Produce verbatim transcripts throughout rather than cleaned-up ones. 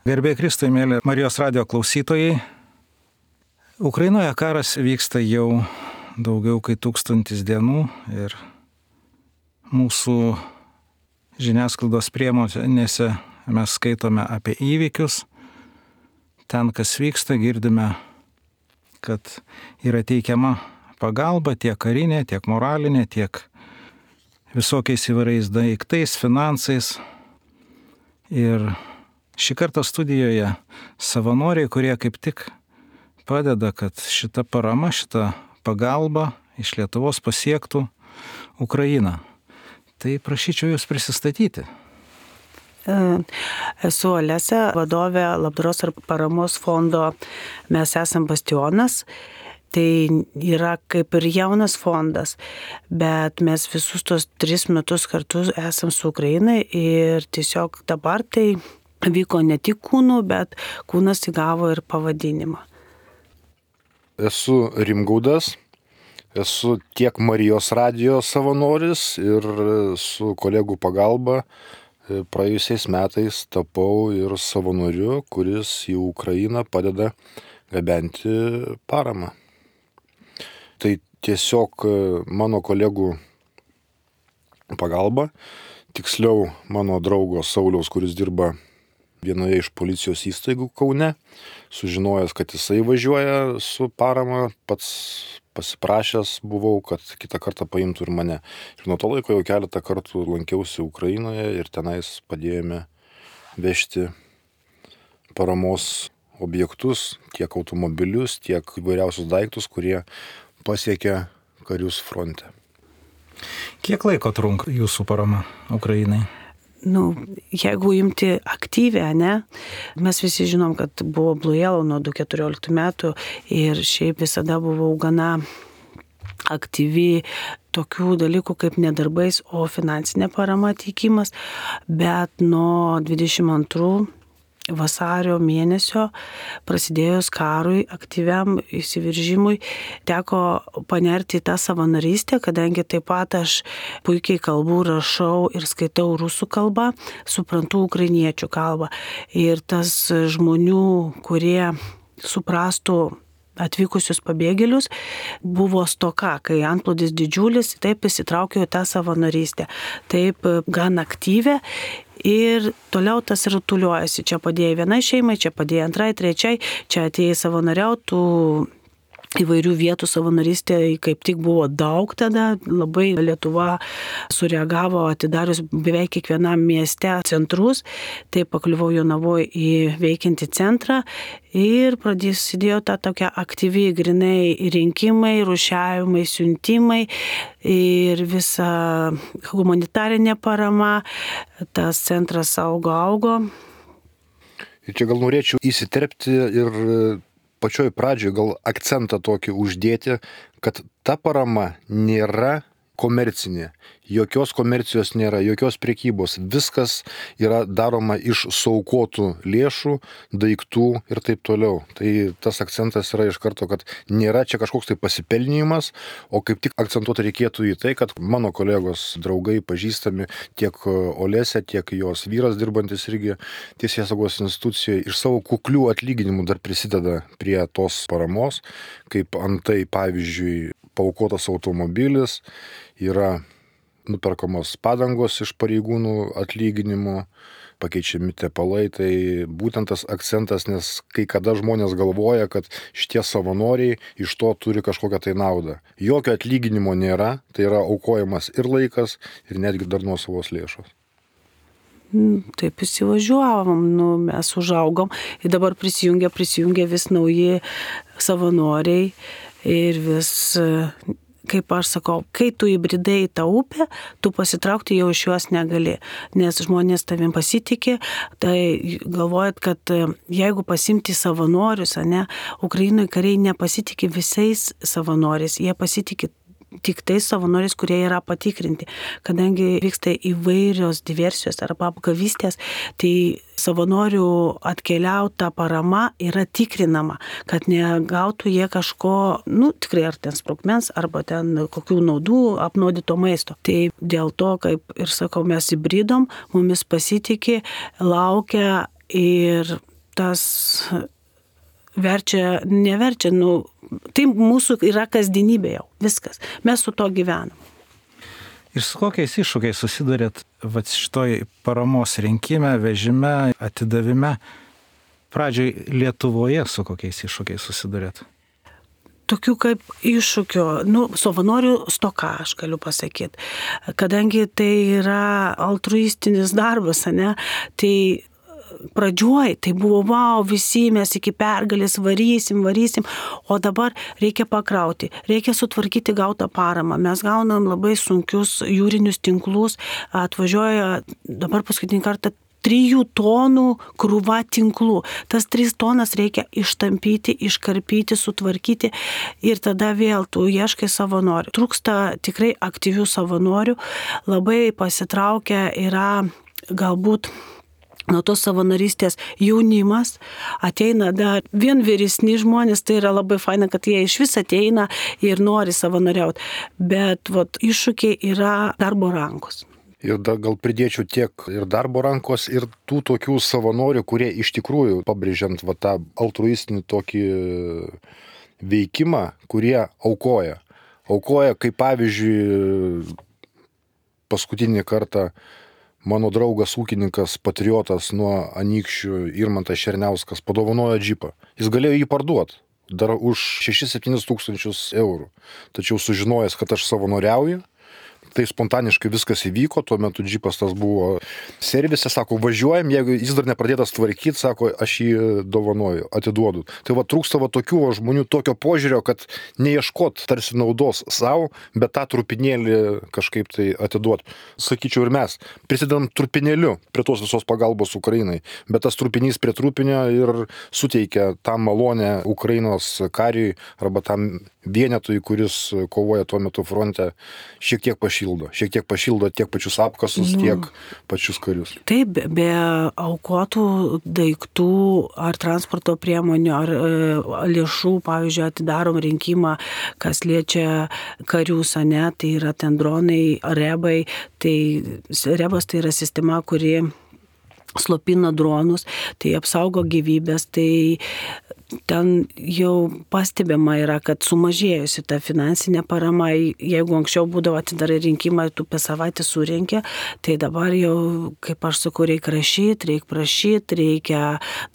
Garbė Kristui, mėly Marijos radijo klausytojai. Ukrainoje karas vyksta jau daugiau kaip tūkstantis dienų ir mūsų žiniasklaidos priemonėse mes skaitome apie įvykius. Ten, kas vyksta, girdime, kad yra teikiama pagalba tiek karinė, tiek moralinė, tiek visokiais įvairiais daiktais, finansais. Ir šį kartą studijoje savanoriai, kurie kaip tik padeda, kad šita parama, šita pagalba iš Lietuvos pasiektų Ukrainą. Tai prašyčiau jūs prisistatyti. Esu Olesa, vadovė Labdaros ir paramos fondo Mes esam Bastionas. Tai yra kaip ir jaunas fondas, bet mes visus tos tris metus kartu esam su Ukrainai ir tiesiog dabar tai vyko ne tik kūnų, bet kūnas įgavo ir pavadinimą. Esu Rimgaudas, esu tiek Marijos radijo savanoris ir su kolegų pagalba praėjusiais metais tapau ir savanoriu, kuris į Ukrainą padeda gabenti paramą. Tai tiesiog mano kolegų pagalba, tiksliau mano draugo Sauliaus, kuris dirba vienoje iš policijos įstaigų Kaune, sužinojęs, kad jisai važiuoja su parama, pats pasiprašęs buvau, kad kitą kartą paimtų ir mane. Ir nuo to laiko jau keletą kartų lankiausi Ukrainoje ir tenais padėjome vežti paramos objektus, tiek automobilius, tiek įvairiausius daiktus, kurie pasiekia karius fronte. Kiek laiko trunka jūsų parama Ukrainai? Nu, jeigu imti aktyvę, ne, mes visi žinom, kad buvo Blue Yellow nuo du tūkstančiai keturioliktų metų ir šiaip visada buvau gana aktyvi tokių dalykų kaip nedarbais, o finansinė parama teikimas, bet nuo dvidešimt antrų vasario mėnesio prasidėjus karui, aktyviam įsiveržimui, teko panerti į tą savanorystę, kadangi taip pat aš puikiai kalbu, rašau ir skaitau rusų kalbą, suprantu ukrainiečių kalbą. Ir tas žmonių, kurie suprastų atvykusius pabėgėlius, buvo stoka, kai antplūdis didžiulis, taip įsitraukiau į tą savanorystę, taip gan aktyvę. Ir toliau tas rutuliuojasi. Čia padėjai vienai šeimai, čia padėjai antrai, trečiai, čia atėjai savanoriautų. Įvairių vietų savanorystė kaip tik buvo daug tada, labai Lietuva sureagavo atidarius beveik kiekvienam mieste centrus, tai pakliuvau Jonavoje į veikiantį centrą ir prasidėjo ta tokia aktyvi grinai rinkimai, rūšiavimai, siuntimai ir visa humanitarinė parama, tas centras augo, augo. Ir čia gal norėčiau įsiterpti ir pačioj pradžioj gal akcentą tokį uždėti, kad ta parama nėra komercinė. Jokios komercijos nėra, jokios prekybos. Viskas yra daroma iš suaukotų lėšų, daiktų ir taip toliau. Tai tas akcentas yra iš karto, kad nėra čia kažkoks tai pasipelnimas, o kaip tik akcentuoti reikėtų į tai, kad mano kolegos, draugai, pažįstami, tiek Olesė, tiek jos vyras dirbantis irgi teisėsaugos institucijoje, iš savo kuklių atlyginimų dar prisideda prie tos paramos, kaip antai, pavyzdžiui, paaukotas automobilis, yra nuperkamos padangos iš pareigūnų atlyginimų, pakeičiami tepalai, tai būtent tas akcentas, nes kai kada žmonės galvoja, kad šitie savanoriai iš to turi kažkokią tai naudą. Jokio atlyginimo nėra, tai yra aukojamas ir laikas, ir netgi dar nuosavos lėšos. Taip įsivažiuovom, nu, mes užaugom ir dabar prisijungia, prisijungia vis nauji savanoriai ir vis, kaip aš sakau, kai tu įbridai į tą upę, tu pasitraukti jau iš juos negali, nes žmonės tavim pasitikė, tai galvojat, kad jeigu pasimti savanorius, ne, Ukrainoje kariai nepasitikė visais savanoriais, jie pasitikė tik tais savanoriais, kurie yra patikrinti. Kadangi vyksta įvairios diversijos arba apgavystės, tai savanorių atkeliauta parama yra tikrinama, kad negautų jie kažko, nu, tikrai ar ten sprogmens, arba ten kokių naudų apnuodyto maisto. Tai dėl to, kaip ir sakau, mes įbridom, mumis pasitikė, laukia ir tas verčia, neverčia, nu, tai mūsų yra kasdienybė jau, viskas. Mes su to gyvenam. Ir su kokiais iššūkiais susidurėt vat šitoj paramos rinkime, vežime, atidavime? Pradžioj Lietuvoje su kokiais iššūkiais susidurėt? Tokių kaip iššūkio, nu, savanorių stoka, aš galiu pasakyti. Kadangi tai yra altruistinis darbas, ne, tai pradžioj tai buvo, wow, visi mes iki pergalės varysim, varysim, o dabar reikia pakrauti, reikia sutvarkyti gautą paramą. Mes gaunam labai sunkius jūrinius tinklus, atvažiuoja dabar paskutinį kartą trijų tonų krūva tinklų. Tas tris tonas reikia ištampyti, iškarpyti, sutvarkyti ir tada vėl tu ieškai savanorių. Trūksta tikrai aktyvių savanorių, labai pasitraukia yra galbūt nuo tos savanorystės jaunimas, ateina dar vien vyresni žmonės, tai yra labai faina, kad jie iš vis ateina ir nori savanoriauti, bet vat, iššūkiai yra darbo rankos. Ir dar gal pridėčiau tiek ir darbo rankos, ir tų tokių savanorių, kurie iš tikrųjų, pabrėžiant va, tą altruistinį tokį veikimą, kurie aukoja. Aukoja, kaip pavyzdžiui, paskutinį kartą mano draugas ūkininkas, patriotas nuo Anykščių Irmantas Černiauskas padovanojo džipą. Jis galėjo jį parduoti dar už šešis septynis tūkstančius eurų. Tačiau sužinojęs, kad aš savanoriauju, tai spontaniškai viskas įvyko, tuo metu džipas tas buvo servise, sako, važiuojam, jeigu jis dar nepradėtas tvarkyti, sako, aš jį dovanoju, atiduodu. Tai va trūksta va tokių va, žmonių tokio požiūrio, kad neieškot tarsi naudos savo, bet tą trupinėlį kažkaip tai atiduot. Sakyčiau ir mes, prisidedam trupinėliu prie tos visos pagalbos Ukrainai, bet tas trupinys prie trupinio ir suteikia tą malonę Ukrainos kariui arba tam vienetui, kuris kovoja tuo metu fronte, šiek tiek pašildo. Šiek tiek pašildo tiek pačius apkasus, nu, tiek pačius karius. Taip, be, be aukotų daiktų ar transporto priemonių, ar e, lėšų, pavyzdžiui, atidarom rinkimą, kas liečia karius, ne, tai yra ten dronai, rebai, tai rebas tai yra sistema, kuri slopina dronus, tai apsaugo gyvybės, tai ten jau pastebima yra, kad sumažėjusi ta finansinė parama, jeigu anksčiau būdavo atidarai rinkimą, tu per savaitę surinkė, tai dabar jau, kaip aš sakau, reikia rašyti, reikia prašyti, reikia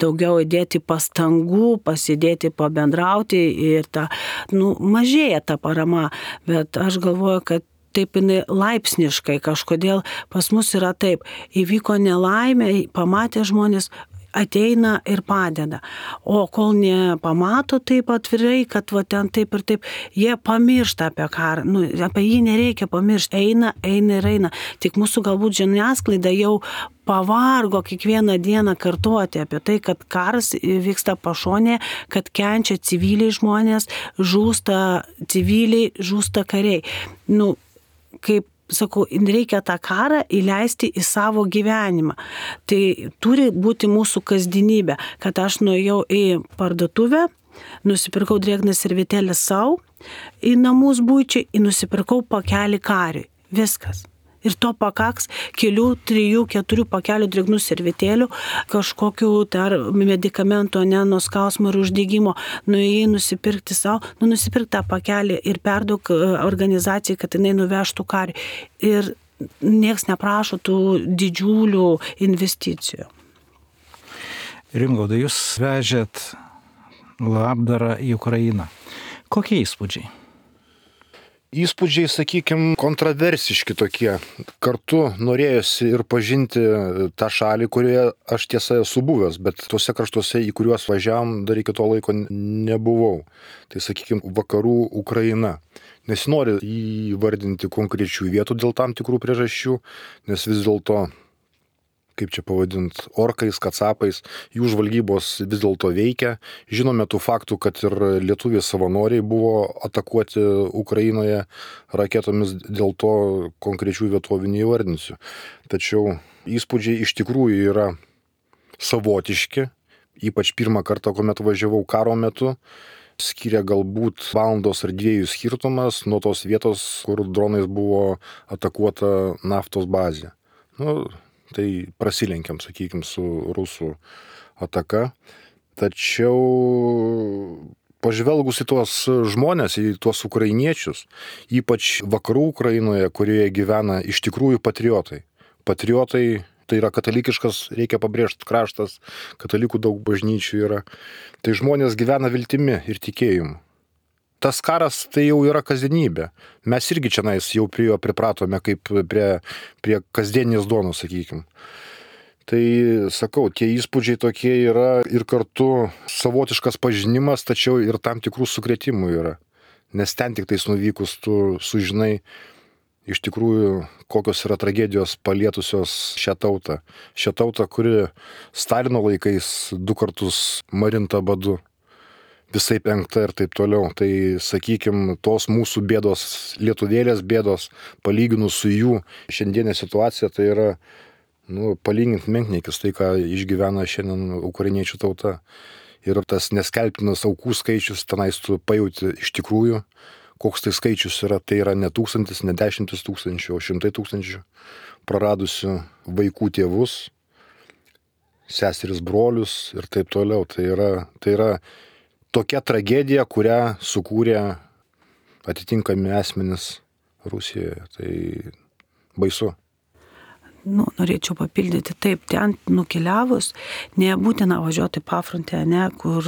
daugiau įdėti pastangų, pasidėti, pabendrauti ir ta, nu, mažėja ta parama, bet aš galvoju, kad taip jinai laipsniškai kažkodėl pas mus yra taip, įvyko nelaimė, pamatė žmonės, ateina ir padeda. O kol nepamato taip atvirai, kad va ten taip ir taip, jie pamiršta apie karą, nu, apie jį nereikia pamiršti, eina, eina ir eina. Tik mūsų galbūt žiniasklaida jau pavargo kiekvieną dieną kartuoti apie tai, kad karas vyksta pašonėje, kad kenčia civiliai žmonės, žūsta civiliai, žūsta kariai. Nu, kaip sakau, reikia tą karą įleisti į savo gyvenimą. Tai turi būti mūsų kasdienybė, kad aš nuėjau į parduotuvę, nusipirkau drėgną servetėlę savo, į namus būčiai, ir nusipirkau pakelį kariui. Viskas. Ir to pakaks kelių, trijų, keturių pakelių drėgnų servetėlių, kažkokių dar medikamentų, ne, nuo skausmo ir uždegimo, nuėjai nusipirkti savo, nu nusipirk tą pakelį ir perduok organizacijai, kad jinai nuvežtų karį. Ir nieks neprašo tų didžiulių investicijų. Rimgaudai, jūs vežėt labdarą į Ukrainą. Kokie įspūdžiai? Įspūdžiai, sakykime, kontroversiški tokie. Kartu norėjosi ir pažinti tą šalį, kurioje aš tiesa esu buvęs, bet tuose kraštuose, į kuriuos važiavam, dar iki to laiko nebuvau. Tai, sakykime, vakarų Ukraina. Nesinori įvardinti konkrečių vietų dėl tam tikrų priežasčių, nes vis dėlto, kaip čia pavadint, orkais, kacapais, jų žvalgybos vis dėlto veikia. Žinome tų faktų, kad ir lietuviai savanoriai buvo atakuoti Ukrainoje raketomis, dėl to konkrečių vietovių neįvardinsiu. Tačiau įspūdžiai iš tikrųjų yra savotiški, ypač pirmą kartą, kuomet važiavau karo metu, skiria galbūt valandos ar dviejų skirtumas nuo tos vietos, kur dronais buvo atakuota naftos bazė. Nu, tai prasilenkiam, sakykime, su rusų ataka. Tačiau pažvelgus į tuos žmonės, į tuos ukrainiečius, ypač vakarų Ukrainoje, kurioje gyvena iš tikrųjų patriotai. Patriotai tai yra katalikiškas, reikia pabrėžti, kraštas, katalikų daug bažnyčių yra. Tai žmonės gyvena viltimi ir tikėjimu. Tas karas tai jau yra kasdienybė. Mes irgi čia jau prie jo pripratome kaip prie, prie kasdienės duonos, sakykime. Tai sakau, tie įspūdžiai tokie yra ir kartu savotiškas pažinimas, tačiau ir tam tikrų sukrėtimų yra. Nes ten tik tais nuvykus tu sužinai iš tikrųjų, kokios yra tragedijos palietusios šią tautą. Šią tautą, kuri Stalino laikais du kartus marinta badu, visai penkta ir taip toliau. Tai, sakykime, tos mūsų bėdos, lietuvėlės bėdos, palyginus su jų šiandienė situacija, tai yra nu, palygint menkniekis tai, ką išgyvena šiandien ukrainiečių tauta. Ir tas neskelbtinas aukų skaičius, tenais tu pajauti iš tikrųjų, koks tai skaičius yra, tai yra ne tūkstantis, ne dešimtis tūkstančių, o šimtai tūkstančių praradusių vaikų tėvus, seseris brolius ir taip toliau. Tai yra, tai yra tokia tragedija, kurią sukūrė atitinkami asmenys Rusijoje. Tai baisu. Nu, norėčiau papildyti, taip, ten nukeliavus, nebūtina važiuoti pafrontę, ne, kur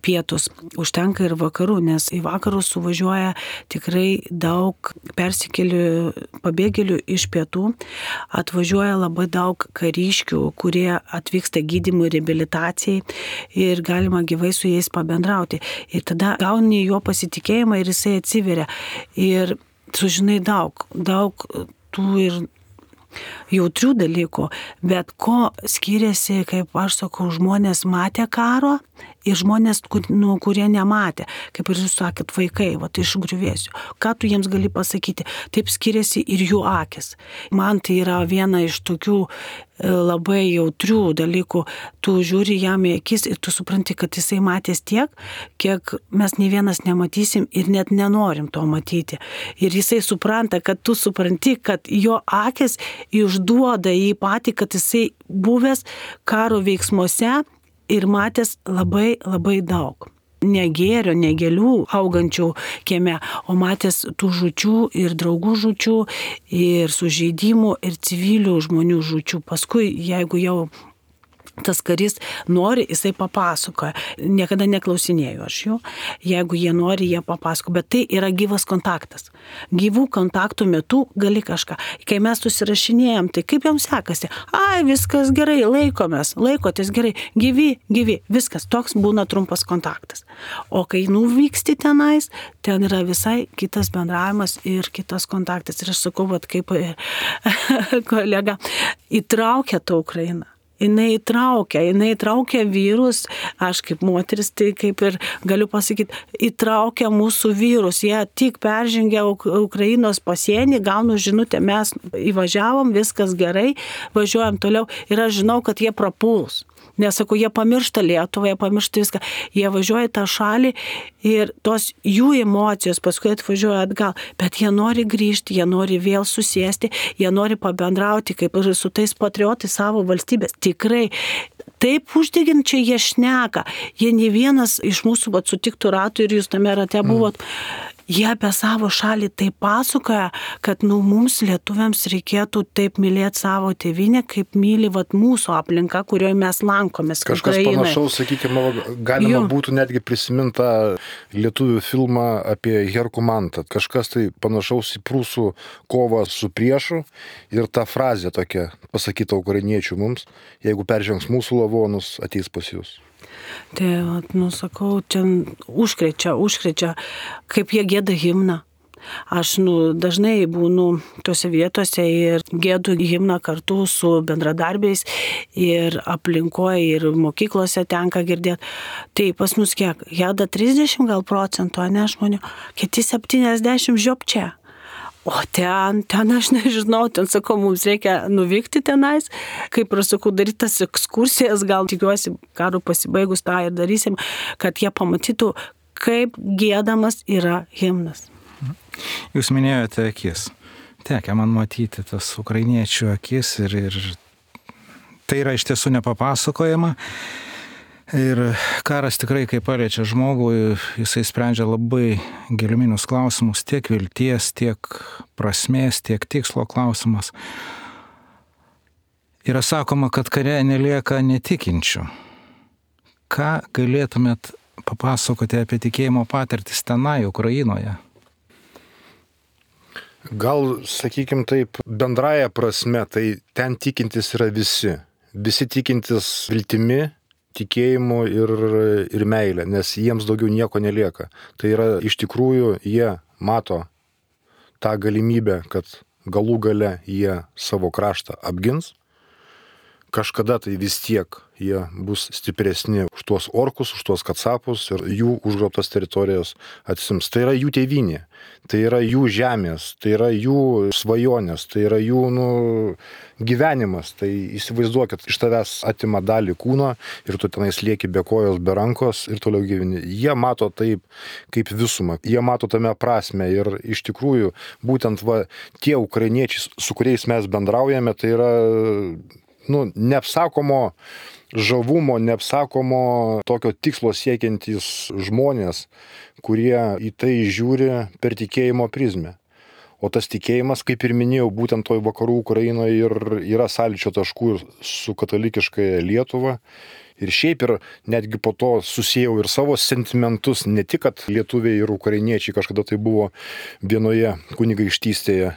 pietus, užtenka ir vakarų, nes į vakarus suvažiuoja tikrai daug persikėlių, pabėgėlių iš pietų, atvažiuoja labai daug kariškių, kurie atvyksta gydymui, reabilitacijai ir galima gyvai su jais pabendrauti. Ir tada gauni jo pasitikėjimą ir jisai atsiveria. Ir sužinai daug, daug tų ir jautrių dalykų, bet ko skiriasi, kaip aš sakau, žmonės matė karo ir žmonės, kur, nu, kurie nematė, kaip ir jūs sakėt, vaikai, va, iš griuvėsių. Ką tu jiems gali pasakyti? Taip skiriasi ir jų akis. Man tai yra viena iš tokių labai jautrių dalykų. Tu žiūri jam į akis ir tu supranti, kad jisai matės tiek, kiek mes nei vienas nematysim ir net nenorim to matyti. Ir jisai supranta, kad tu supranti, kad jo akis išduoda jį patį, kad jisai buvęs karo veiksmuose ir matęs labai, labai daug. Ne gėrio, ne gėlių augančių kieme, o matęs tų žučių ir draugų žučių, ir sužeidimų, ir civilių žmonių žučių. Paskui, jeigu jau tas karys nori, jisai papasakoja. Niekada neklausinėjau aš jų. Jeigu jie nori, jie papasako. Bet tai yra gyvas kontaktas. Gyvų kontaktų metu gali kažką. Kai mes susirašinėjom, tai kaip jums sekasi? Ai, viskas gerai, laikomės, laikotės gerai. Gyvi, gyvi, viskas. Toks būna trumpas kontaktas. O kai nuvyksti tenais, ten yra visai kitas bendravimas ir kitas kontaktas. Ir aš sakau, vat, kaip kolega, įtraukia tą Ukrainą. Jinai įtraukia, jinai įtraukia vyrus, aš kaip moteris, tai kaip ir galiu pasakyti, įtraukia mūsų vyrus. Jie tik peržengė Ukrainos pasienį, gaunu žinutę, mes įvažiavom, viskas gerai, važiuojam toliau ir aš žinau, kad jie prapuls. Nes, sakau, jie pamiršta Lietuvą, jie pamiršta viską. Jie važiuoja į tą šalį ir tos jų emocijos paskui atvažiuoja atgal. Bet jie nori grįžti, jie nori vėl susėsti, jie nori pabendrauti kaip ir su tais patriotais savo valstybės. Tikrai. Taip uždeginčiai jie šneka. Jie ne vienas iš mūsų vat, sutiktų ratų ir jūs tame rate buvot. Mm. Jie apie savo šalį taip pasakoja, kad nu, mums lietuviams reikėtų taip mylėti savo tėvynę, kaip myli vat, mūsų aplinka, kurioje mes lankomės. Kažkas Ukrainai. Panašaus, sakykime, galima jo. Būtų netgi prisimintą lietuvių filmą apie Herkų Mantą. Kažkas tai panašaus į prūsų kovą su priešu ir ta frazė tokia pasakyta ukrainiečių mums, jeigu peržengs mūsų lavonus, ateis pas jūs. Tai, nu, sakau, čia užkrečia, užkrečia, kaip jie gėda himną. Aš, nu, dažnai būnu tose vietose ir gėdu himną kartu su bendradarbiais ir aplinkoje, ir mokyklose tenka girdėti. Tai pas mus kiek? Gėda trisdešimt gal procentų, ne žmonių, kiti septyniasdešimt žiopčia. O ten, ten aš nežinau, ten sakau, mums reikia nuvykti tenais, kaip ir sakau, daryti tas ekskursijas, gal tikiuosi, karo pasibaigus tą ir darysim, kad jie pamatytų, kaip gėdamas yra himnas. Jūs minėjote akis. tekę man matyti tas ukrainiečių akis ir, ir tai yra iš tiesų nepapasakojama. Ir karas tikrai, kai paliečia žmogų, jisai sprendžia labai giluminius klausimus, tiek vilties, tiek prasmės, tiek tikslo klausimas. Yra sakoma, kad kare nelieka netikinčių. Ką galėtumėt papasakoti apie tikėjimo patirtis tenai, Ukrainoje? Gal, sakykim taip, bendraja prasme, tai ten tikintis yra visi. Visi tikintis viltimi, tikėjimu ir, ir meilė, nes jiems daugiau nieko nelieka. Tai yra iš tikrųjų, jie mato tą galimybę, kad galų gale jie savo kraštą apgins. Kažkada tai vis tiek jie bus stipresni už tuos orkus, už tuos kacapus ir jų užgrobtas teritorijas atsims. Tai yra jų tėvynė, tai yra jų žemės, tai yra jų svajonės, tai yra jų nu, gyvenimas. Tai įsivaizduokit, iš tavęs atima dalį kūno ir tu tenais lieki be kojos, be rankos ir toliau gyveni. Jie mato taip kaip visumą, jie mato tame prasme ir iš tikrųjų būtent va, tie ukrainiečiai, su kuriais mes bendraujame, tai yra nu, neapsakomo žavumo, neapsakomo tokio tikslo siekiantys žmonės, kurie į tai žiūri per tikėjimo prizmę. O tas tikėjimas, kaip ir minėjau, būtent toj vakarų Ukrainoje ir yra sąlyčio taškų su katalikiškąja Lietuva. Ir šiaip ir netgi po to susijau ir savo sentimentus, ne tik, kad lietuviai ir ukrainiečiai kažkada tai buvo vienoje kunigaikštystėje,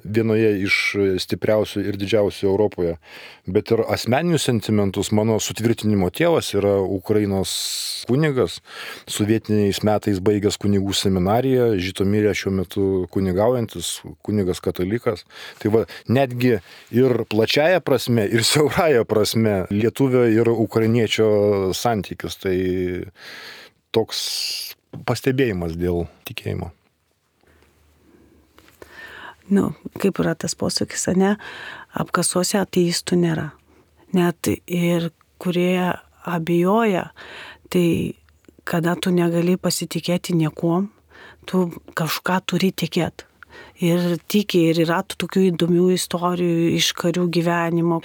vienoje iš stipriausių ir didžiausių Europoje, bet ir asmeninius sentimentus. Mano sutvirtinimo tėvas yra Ukrainos kunigas, sovietiniais metais baigęs kunigų seminariją, Žitomirė šiuo metu kunigaujantis, kunigas katalikas. Tai va, netgi ir plačiaja prasme, ir siauraja prasme lietuvio ir ukrainiečio santykis. Tai toks pastebėjimas dėl tikėjimo. Nu, kaip yra tas posakis, ne, apkasuose ateistų nėra. Net ir kurie abejoja, tai kada tu negali pasitikėti niekuom, tu kažką turi tikėti. Ir tiki, ir yra tokių įdomių istorijų iš karių gyvenimo,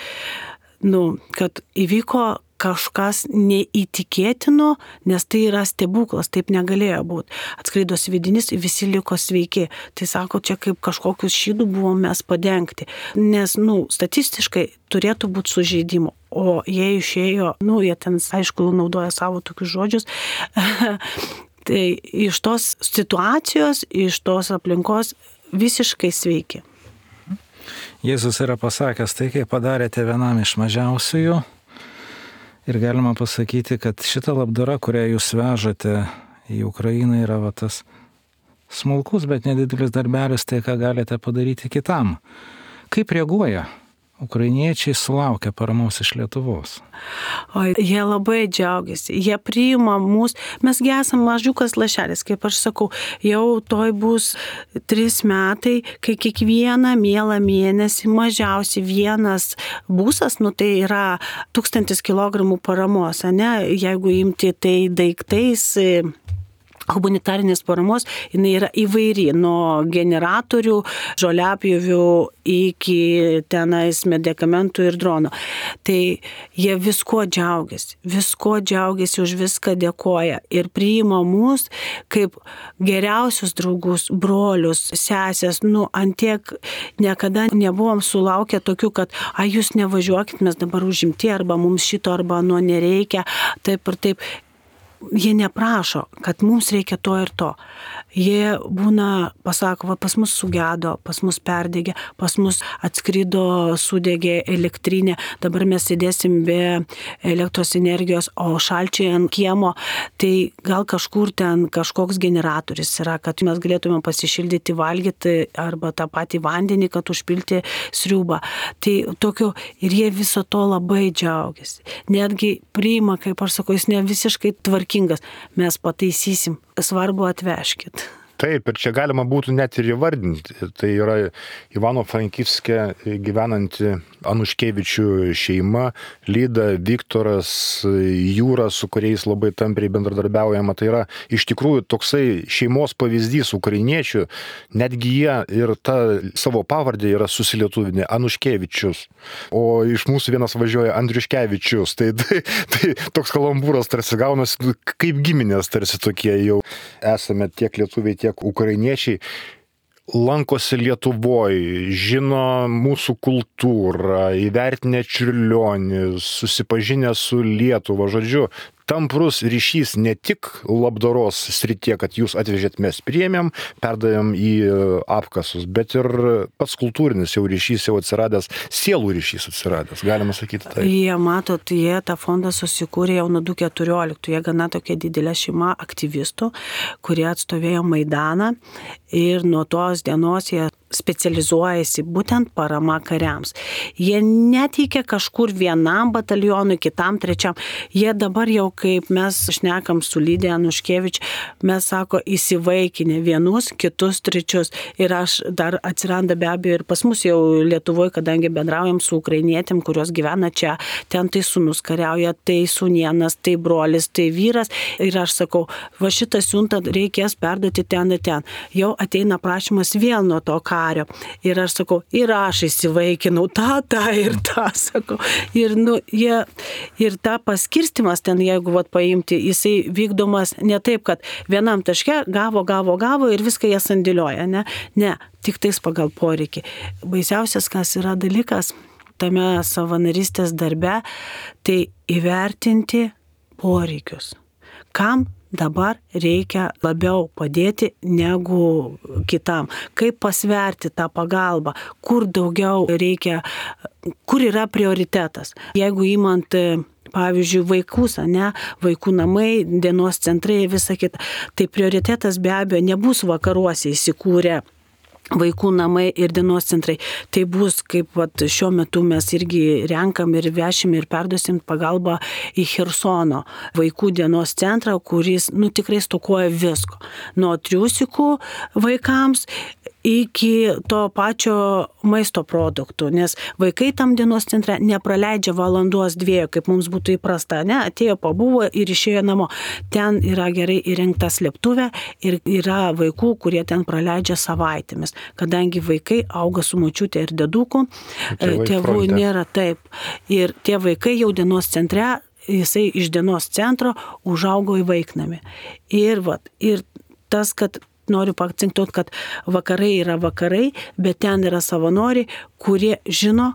nu, kad įvyko kažkas neįtikėtino, nes tai yra stebuklas, taip negalėjo būti. Atskrido sviedinys, visi liko sveiki. Tai sako, čia kaip kažkokius šydų buvom mes padengti. Nes, nu, statistiškai turėtų būti sužeidimo. O jie išėjo, nu, jie ten, aišku, naudoja savo tokius žodžius. Tai iš tos situacijos, iš tos aplinkos visiškai sveiki. Jėzus yra pasakęs, tai kai padarėte vienam iš mažiausiųjų, ir galima pasakyti, kad šita labdara, kurią jūs vežate į Ukrainą, yra va tas smulkus, bet nedidelis darbelis, tai ką galite padaryti kitam. Kaip reaguoja ukrainiečiai sulaukia paramos iš Lietuvos? O jie labai džiaugiasi, jie priima mus, mesgi esam mažiukas lašelis, kaip aš sakau, jau toj bus trys metai, kai kiekvieną mielą mėnesį mažiausiai vienas busas, nu tai yra tūkstantis kilogramų paramos, ne, jeigu imti tai daiktais, humanitarinės paramos, jinai yra įvairi, nuo generatorių, žoliapjovių iki tenais medikamentų ir drono. Tai jie visko džiaugiasi, visko džiaugiasi, už viską dėkoja ir priima mus kaip geriausius draugus, brolius, sesės, nu, antiek niekada nebuvom sulaukę tokių, kad a, jūs nevažiuokit, mes dabar užimti, arba mums šito, arba nu nereikia, taip ir taip. Jie neprašo, kad mums reikia to ir to. Jie būna, pasako, va, pas mus sugedo, pas mus perdegė, pas mus atskrido, sudegė elektrinė, dabar mes sėdėsim be elektros energijos, o šalčiai ant kiemo, tai gal kažkur ten kažkoks generatorius yra, kad mes galėtume pasišildyti, valgyti arba tą patį vandenį, kad užpilti sriubą. Tai tokio, ir jie viso to labai džiaugiasi. Netgi priima, kaip aš sakau, jis ne visiškai tvarkingas, mes pataisysim, svarbu atvežkit. Taip, ir čia galima būtų net ir įvardinti. Tai yra Ivano Frankivske gyvenanti Anuškevičių šeima, Lyda, Viktoras, Jūra, su kuriais labai tampriai bendradarbiaujama. Tai yra iš tikrųjų toksai šeimos pavyzdys ukrainiečių, netgi jie ir tą savo pavardę yra susilietuvinę Anuškevičius, o iš mūsų vienas važiuoja Andriuškevičius. Tai, tai, tai toks kalambūras tarsi gaunasi, kaip giminės tarsi tokie jau esame tiek lietuviai, tiek ukrainiečiai. Lankosi Lietuvoje, žino mūsų kultūrą, įvertinę Čiurlionį, susipažinę su Lietuva. Žodžiu, tamprus ryšys ne tik labdaros srityje, kad jūs atvežėt, mes priėmėm, perdavėm į apkasus, bet ir pats kultūrinis jau ryšys jau atsiradęs, sielų ryšys atsiradęs, galima sakyti tai. Jie, matot, jie tą fondą susikūrė jau nuo du tūkstančiai keturioliktų, jie gana tokia didelė šeima aktyvistų, kurie atstovėjo Maidaną ir nuo tos dienos jie specializuojasi būtent parama kariams. Jie neteikia kažkur vienam batalionui, kitam, trečiam. Jie dabar jau, kaip mes šnekam su Lydija Anuškevič, mes sako įsivaikinę vienus, kitus, trečius. Ir aš dar atsiranda be abejo ir pas mus jau Lietuvoje, kadangi bendraujam su ukrainietėm, kurios gyvena čia, ten tai sūnus kariauja, tai sūnienas, tai brolis, tai vyras. Ir aš sakau, va šitą siuntą reikės perduoti ten ir ten. Jau ateina prašymas vėl nuo to ką. Ir aš sakau, ir aš įsivaikinau tą, tą ir tą, sakau. Ir, nu, jie, ir tą paskirstimas ten, jeigu vat, paimti, jisai vykdomas ne taip, kad vienam taške gavo, gavo, gavo ir viską jie sandėlioja. Ne, ne, tik tais pagal poreikį. Baisiausias, kas yra dalykas tame savanorystės darbe, tai įvertinti poreikius. Kam dabar reikia labiau padėti negu kitam. Kaip pasverti tą pagalbą, kur daugiau reikia, kur yra prioritetas. Jeigu įmant, pavyzdžiui, vaikus, ne, vaikų namai, dienos centrai ir visa kita, tai prioritetas be abejo nebus vakaruose įsikūrę vaikų namai ir dienos centrai. Tai bus, kaip vat, šiuo metu mes irgi renkam ir vešim ir perduosim pagalbą į Chersono vaikų dienos centrą, kuris, nu, tikrai stokoja visko. Nuo triusikų vaikams iki to pačio maisto produktų, nes vaikai tam dienos centre nepraleidžia valandos dviejų, kaip mums būtų įprasta, ne, atėjo, pabuvo ir išėjo namo. Ten yra gerai įrengta slėptuvė ir yra vaikų, kurie ten praleidžia savaitėmis, kadangi vaikai auga su močiutė ir deduku, tėvų nėra taip. Ir tie vaikai jau dienos centre, jisai iš dienos centro užaugo į vaiknamį. Ir, vat, ir tas, kad noriu paakcentuoti, kad vakarai yra vakarai, bet ten yra savanoriai, kurie žino,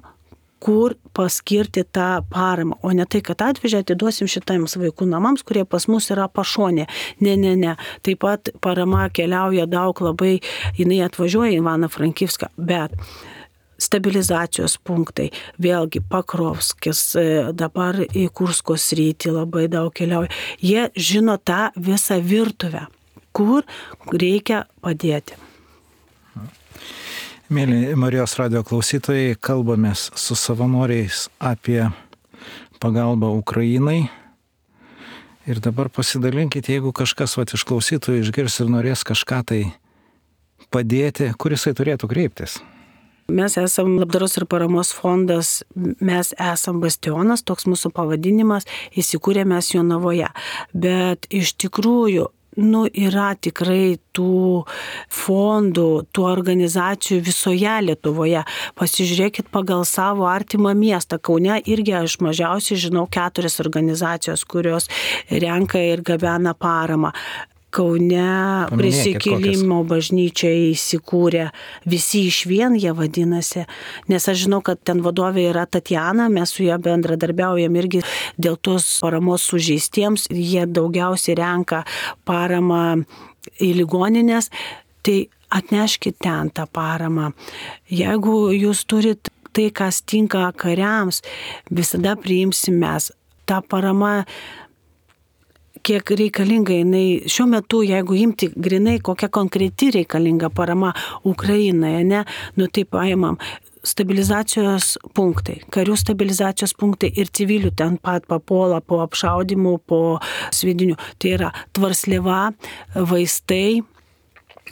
kur paskirti tą paramą, o ne tai, kad atvežę atiduosim šitams vaikų namams, kurie pas mus yra pašonė. Ne, ne, ne. Taip pat parama keliauja daug labai, jinai atvažiuoja į Ivaną Frankivską, bet stabilizacijos punktai, vėlgi Pakrovskis, dabar į Kursko sritį labai daug keliauja. Jie žino tą visą virtuvę, kur reikia padėti. Mėly Marijos radijo klausytojai, kalbamės su savanoriais apie pagalbą Ukrainai. Ir dabar pasidalinkite, jeigu kažkas vat, iš klausytojų išgirs ir norės kažką tai padėti, kur jisai turėtų kreiptis. Mes esam labdaros ir paramos fondas, mes esam Bastionas, toks mūsų pavadinimas, įsikūrė mes Jonavoje. Bet iš tikrųjų, nu, yra tikrai tų fondų, tų organizacijų visoje Lietuvoje. Pasižiūrėkit pagal savo artimą miestą. Kaune irgi aš mažiausiai žinau keturias organizacijos, kurios renka ir gabena paramą. Kaune Prisikėlimo bažnyčia įsikūrė, visi iš vien jie vadinasi, nes aš žinau, kad ten vadovė yra Tatjana, mes su ją bendradarbiaujam irgi dėl tos paramos sužeistiems, jie daugiausiai renka paramą į ligoninės, tai atneškit ten tą paramą. Jeigu jūs turit tai, kas tinka kariams, visada priimsim mes. Ta parama, kiek reikalinga jinai, šiuo metu, jeigu imti grinai, kokia konkreti reikalinga parama Ukrainoje, ne, nu tai paimam stabilizacijos punktai, karių stabilizacijos punktai ir civilių ten pat papuola po apšaudimų, po svidinių. Tai yra tvarsliva, vaistai,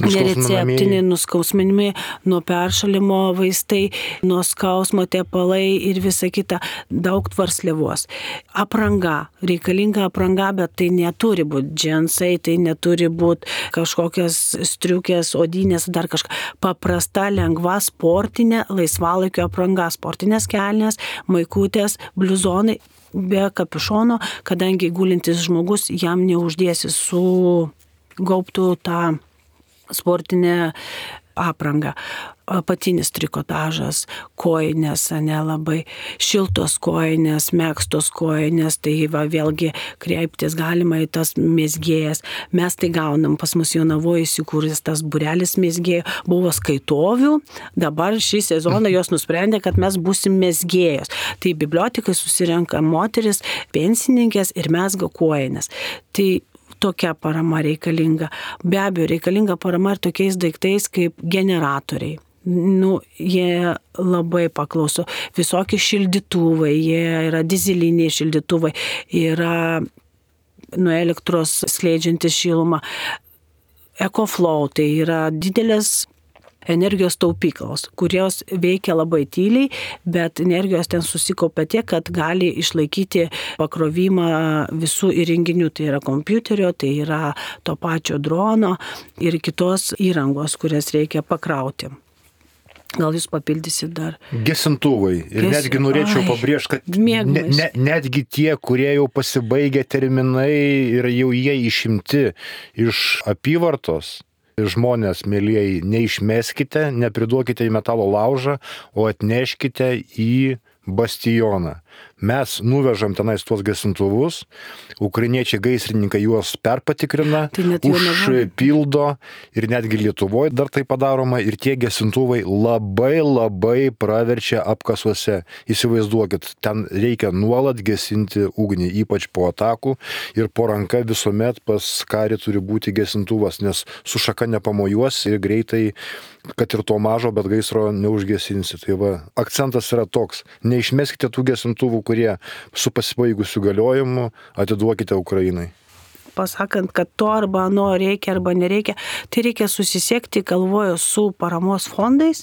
nereceptiniai nuskausminimai, nuo peršalimo vaistai, nuo skausmo tepalai ir visa kita, daug tvarsliavos. Apranga, reikalinga apranga, bet tai neturi būti džinsai, tai neturi būti kažkokios striukės, odinės, dar kažką. Paprasta, lengva, sportinė, laisvalaikio apranga, sportinės kelnės, maikutės, bliuzonai, be kapišono, kadangi gulintis žmogus jam neuždėsi su gaubtų tą sportinę aprangą. Apatinis trikotažas, kojinės, nelabai šiltos kojinės, megztos kojinės, tai va, vėlgi kreiptis galima į tas mezgėjas. Mes tai gaunam, pas mus Jonavoje įsikūręs tas būrelis mezgėjų, buvo skaitovių, dabar šį sezoną jos nusprendė, kad mes būsim mezgėjos. Tai bibliotekai susirenka moteris, pensininkės ir mezga kojinės. Tai tokia parama reikalinga. Be abejo, reikalinga parama ir tokiais daiktais kaip generatoriai. Nu, jie labai paklauso. Visokie šildytuvai, jie yra dizeliniai šildytuvai, yra nuo elektros skleidžiantis šilumą. EcoFlow, tai yra didelės energijos taupyklos, kurios veikia labai tyliai, bet energijos ten susikaupia tiek, kad gali išlaikyti pakrovimą visų įrenginių, tai yra kompiuterio, tai yra to pačio drono ir kitos įrangos, kurias reikia pakrauti. Gal jūs papildysit dar? Gesintuvai. Ir Ges... netgi norėčiau pabrėžti, kad ne, ne, netgi tie, kurie jau pasibaigė terminai ir jau jie išimti iš apyvartos, žmonės, mėlyjeji, neišmeskite, nepriduokite į metalo laužą, o atneškite į bastioną. Mes nuvežam tenais tuos gesintuvus, ukrainiečiai gaisrininkai juos perpatikrina, užpildo ir netgi Lietuvoje dar tai padaroma ir tie gesintuvai labai labai praverčia apkasuose. Įsivaizduokit, ten reikia nuolat gesinti ugnį, ypač po atakų ir po ranka visuomet pas karį turi būti gesintuvas, nes su šaka nepamojuos ir greitai, kad ir to mažo, bet gaisro neužgesinsi. Tai va, akcentas yra toks, neišmeskite tų gesintuvų, kurie su pasibaigusiu galiojimu atiduokite Ukrainai. Pasakant, kad to arba ano reikia arba nereikia, tai reikia susisiekti, galvoju, su paramos fondais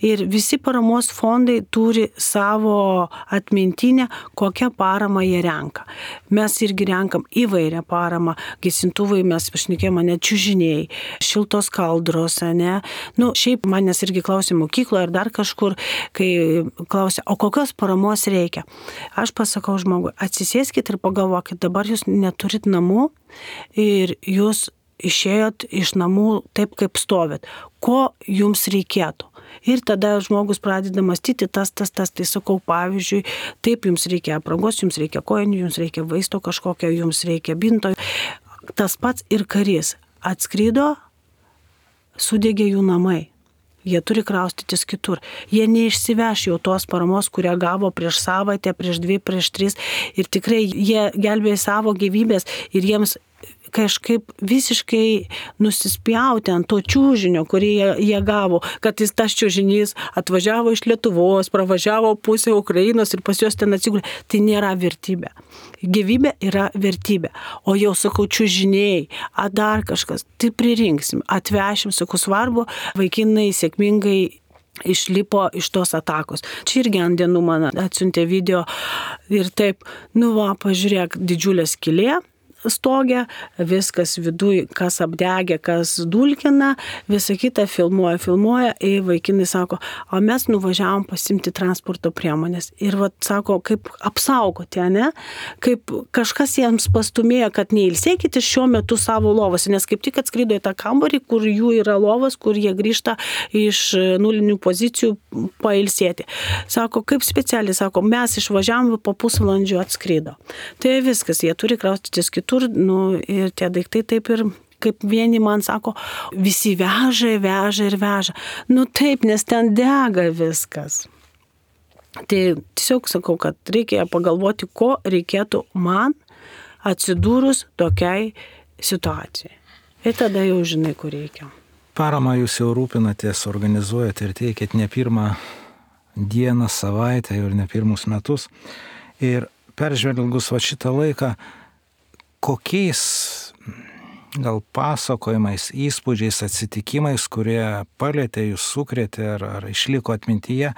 ir visi paramos fondai turi savo atmintinę, kokią paramą jie renka. Mes irgi renkam įvairią paramą, gesintuvai mes pašnekėjome, net čiužiniai, šiltos kaldros, ne? Nu, šiaip manęs irgi klausė mokykloje ar dar kažkur, kai klausė, o kokios paramos reikia? Aš pasakau žmogui, atsisėskit ir pagalvokit, dabar jūs neturit namų, ir jūs išėjot iš namų taip, kaip stovit. Ko jums reikėtų? Ir tada žmogus pradeda mąstyti tas, tas, tas, tai sakau, pavyzdžiui, taip jums reikia aprangos, jums reikia kojinių, jums reikia vaisto kažkokio, jums reikia binto. Tas pats ir karys atskrido, sudegė jų namai. Jie turi kraustytis kitur. Jie neišsiveš jau tos paramos, kurią gavo prieš savaitę, prieš dvi, prieš tris. Ir tikrai jie gelbėjo savo gyvybės ir jiems kažkaip visiškai nusispjauti ant to čiužinio, kurį jie, jie gavo, kad jis tas čiužinys atvažiavo iš Lietuvos, pravažiavo pusę Ukrainos ir pas juos ten atsigulė. Tai nėra vertybė. Gyvybė yra vertybė. O jau sakau, čiužiniai, a dar kažkas, tai pririnksim, atvešim, sakau, svarbu, vaikinai sėkmingai išlipo iš tos atakos. Čia irgi ant dienų man atsiuntė video ir taip, nu va, pažiūrėk, didžiulė skylė stogė, viskas viduj, kas apdegė, kas dulkina, visą kitą filmuoja, filmuoja ir vaikinai sako, o mes nuvažiavom pasimti transporto priemonės. Ir vat sako, kaip apsaugoti, ne? Kaip kažkas jiems pastumėjo, kad neilsėkite šiuo metu savo lovose, nes kaip tik atskrido į tą kambarį, kur jų yra lovas, kur jie grįžta iš nulinių pozicijų pailsėti. Sako, kaip specialiai, sako, mes išvažiavom, po pusvalandžio atskrido. Tai viskas, jie turi kraustytis kitur, nu, ir tie daiktai taip ir, kaip vieni man sako, visi veža, veža ir veža. Nu taip, nes ten dega viskas. Tai tiesiog sakau, kad reikia pagalvoti, ko reikėtų man atsidūrus tokiai situacijai. Ir tada jau žinai, kur reikia. Paramą jūs jau rūpinatės, organizuojate ir teikėt ne pirmą dieną, savaitę ir ne pirmus metus. Ir peržvelgus va šitą laiką, kokiais gal pasakojimais, įspūdžiais, atsitikimais, kurie palėtė, jūs sukrėtė ar, ar išliko atmintyje,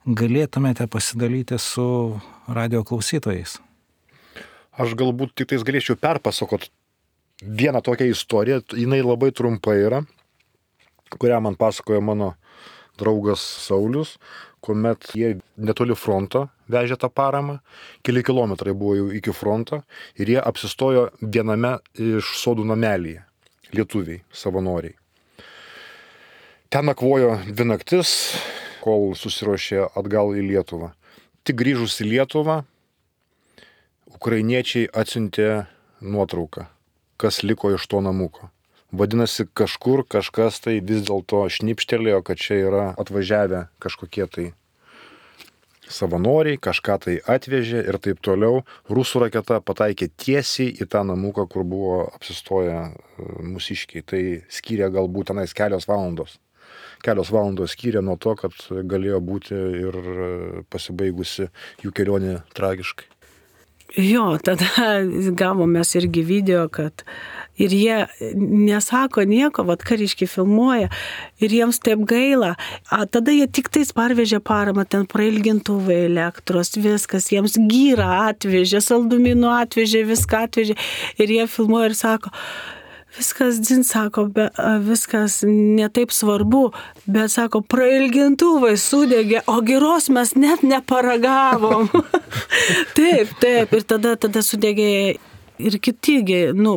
galėtumėte pasidalyti su radio klausytojais? Aš galbūt tik tais galėčiau perpasakot vieną tokią istoriją, jinai labai trumpa yra, kurią man pasakojo mano draugas Saulius, kuomet jie netoli fronto vežė tą paramą, keli kilometrai buvo jau iki fronto ir jie apsistojo viename iš sodų namelyje, lietuviai, savanoriai. Ten nakvojo dvi naktis, kol susiruošė atgal į Lietuvą. Tik grįžus į Lietuvą, ukrainiečiai atsiuntė nuotrauką, kas liko iš to namuko. Vadinasi, kažkur kažkas tai vis dėlto šnipštelėjo, kad čia yra atvažiavę kažkokie tai savanoriai, kažką tai atvežė ir taip toliau. Rusų raketa pataikė tiesiai į tą namuką, kur buvo apsistoję mūsiškiai. Tai skyrė galbūt tenais kelios valandos. Kelios valandos skyrė nuo to, kad galėjo būti ir pasibaigusi jų kelionė tragiškai. Jo, tada gavom mes irgi video, kad ir jie nesako nieko, vat kariškiai filmuoja ir jiems taip gaila. A, tada jie tik tais parvežė paramą, ten prailgintuvai, elektros, viskas, jiems gyrą atvežė, saldumynų atvežė, viską atvežė ir jie filmuoja ir sako, viskas, dzin, sako, be, viskas netaip svarbu, bet, sako, prailgintuvai sudegė, o giros mes net neparagavom. Taip, taip, ir tada, tada sudegė ir kitigi, nu,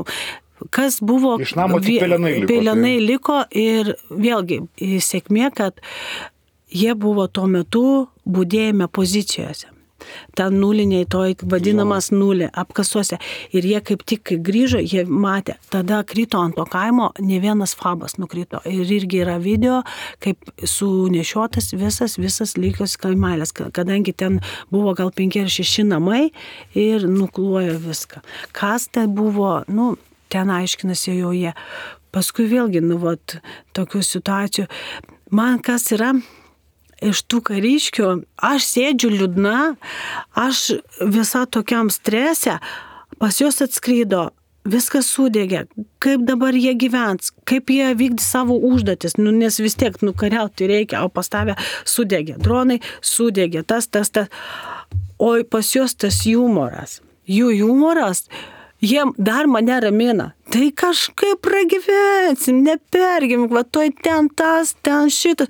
kas buvo, iš namo tik pelenai liko. Pelenai liko ir vėlgi sėkmė, kad jie buvo tuo metu budėjime pozicijose. Ten nuliniai, toj vadinamas nulė, apkasuose. Ir jie kaip tik, kai grįžo, jie matė, tada krito ant to kaimo, ne vienas fabas nukrito. Ir irgi yra video, kaip sunešiotas visas, visas lygios kaimelės, kadangi ten buvo gal penki ar šeši namai ir nuklojo viską. Kas tai buvo, nu, ten aiškinasi jau jie. Paskui vėlgi, nu, vat, tokių situacijų. Man kas yra... Iš tų kariškių, aš sėdžiu liūdna, aš visą tokiam strese, pas juos atskrydo, viskas sudegė, kaip dabar jie gyvens, kaip jie vykdys savo užduotis, nu, nes vis tiek nukariauti reikia, o pas tave sudegė, dronai sudegė, tas, tas, tas, o pas juos tas humoras, jų humoras, jie dar mane ramina. Tai kažkaip pragyvensim, nepergimk, va toj ten tas, ten šitas.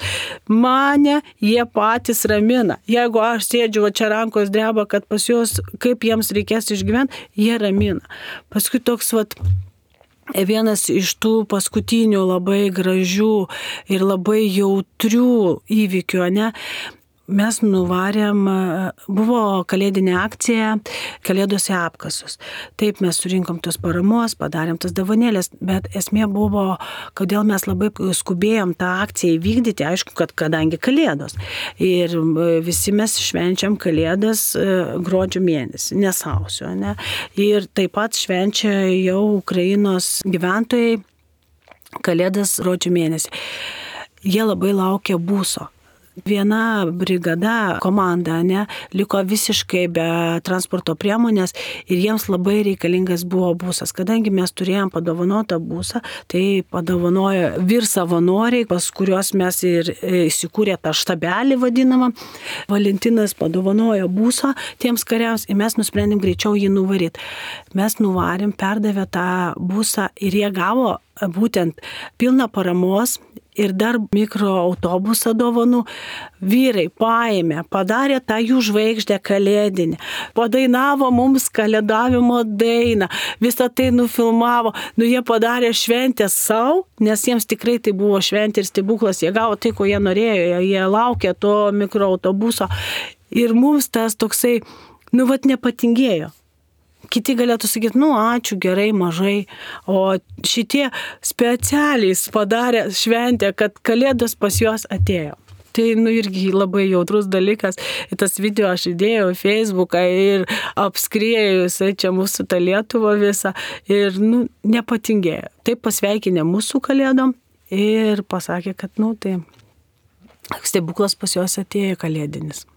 Mane jie patys ramina. Jeigu aš sėdžiu, va čia rankos dreba, kad pas juos, kaip jiems reikės išgyventi, jie ramina. Paskui toks, va, vienas iš tų paskutinių labai gražių ir labai jautrių įvykių, ne? Mes nuvarėm, buvo kalėdinė akcija, kalėdose apkasus. Taip mes surinkom tos paramos, padarėm tas dovanėlės, bet esmė buvo, kodėl mes labai skubėjom tą akciją įvykdyti, aišku, kad kadangi kalėdos. Ir visi mes švenčiam kalėdas gruodžio mėnesį, ne sausio, ne? Ir taip pat švenčia jau Ukrainos gyventojai kalėdas gruodžio mėnesį. Jie labai laukia būso. Viena brigada, komanda, ne, liko visiškai be transporto priemonės ir jiems labai reikalingas buvo būsas. Kadangi mes turėjom padovanotą būsą, tai padovanojo vyr savanoriai, pas kuriuos mes ir įsikūrė tą štabelį vadinamą. Valentinas padovanojo būsą tiems kariams ir mes nusprendėm greičiau jį nuvaryti. Mes nuvarėm, perdavė tą būsą ir jie gavo būtent pilną paramos ir dar mikroautobusą dovanų. Vyrai paėmė, padarė tą jų žvaigždę kalėdinę, padainavo mums kalėdavimo dainą, visą tai nufilmavo, nu jie padarė šventę savo, nes jiems tikrai tai buvo šventė ir stebuklas, jie gavo tai, ko jie norėjo, jie laukė to mikroautobuso ir mums tas toksai, nu vat nepatingėjo. Kiti galėtų sakyti, nu ačiū, gerai, mažai, o šitie specialiai padarė šventę, kad kalėdos pas juos atėjo. Tai nu irgi labai jautrus dalykas. Ir tas video aš įdėjau į Facebooką ir apskriejo jisai čia mūsų tą Lietuvą visą ir nu, nepatingėjo. Taip pasveikinė mūsų kalėdom ir pasakė, kad nu tai stebuklas pas juos atėjo kalėdinis.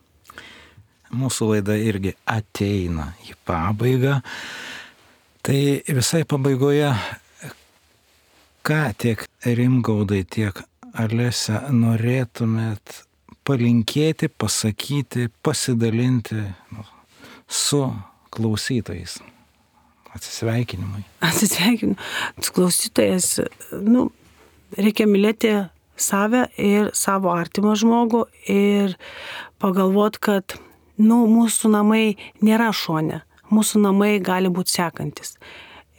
Mūsų laida irgi ateina į pabaigą. Tai visai pabaigoje, ką tiek Rimgaudai, tiek Alese norėtumėt palinkėti, pasakyti, pasidalinti nu, su klausytojais? Atsisveikinimui. Atsisveikinu. Klausytojas, nu, reikia mylėti save ir savo artimą žmogų ir pagalvot, kad, nu, mūsų namai nėra šone. Mūsų namai gali būti sekantis.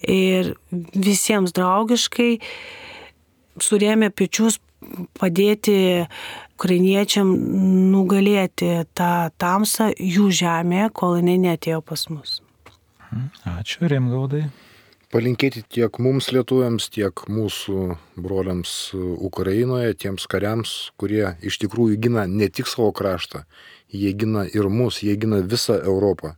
Ir visiems draugiškai surėmė pečius padėti ukrainiečiam nugalėti tą tamsą jų žemėje, kol jinai neatėjo pas mus. Ačiū, Rimgaudai. Palinkėti tiek mums lietuviams, tiek mūsų broliams Ukrainoje, tiems kariams, kurie iš tikrųjų gina ne tik savo kraštą, jie gina ir mus, jie gina visą Europą.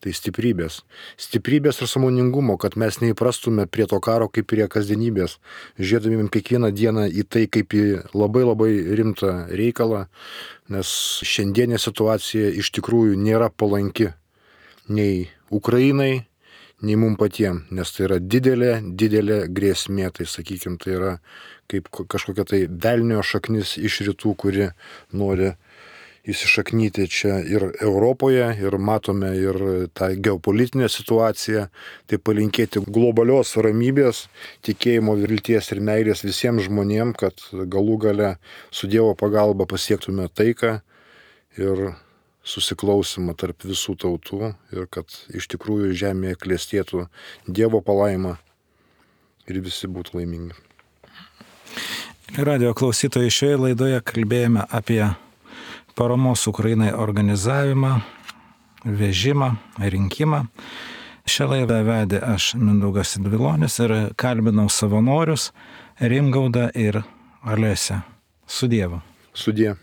Tai stiprybės. Stiprybės ir sąmoningumo, kad mes neįprastume prie to karo kaip prie kasdienybės, žiūrėdami kiekvieną dieną į tai kaip į labai labai rimtą reikalą, nes šiandienė situacija iš tikrųjų nėra palanki nei Ukrainai, nei mum patiem, nes tai yra didelė, didelė grėsmė, tai sakykime, tai yra kaip kažkokia tai velnio šaknis iš rytų, kuri nori įsišaknyti čia ir Europoje, ir matome ir tą geopolitinę situaciją, tai palinkėti globalios ramybės, tikėjimo, vilties ir meilės visiems žmonėms, kad galų gale su Dievo pagalba pasiektume taiką ir susiklausimą tarp visų tautų ir kad iš tikrųjų žemėje klestėtų Dievo palaima ir visi būtų laimingi. Radio klausytojai, šioje laidoje kalbėjome apie paramos Ukrainai organizavimą, vežimą, rinkimą. Šią laidą vedė aš, Mindaugas Sidvilonis, ir kalbinau savanorius Rimgaudą ir Alesę. Su Dievu. Sudie.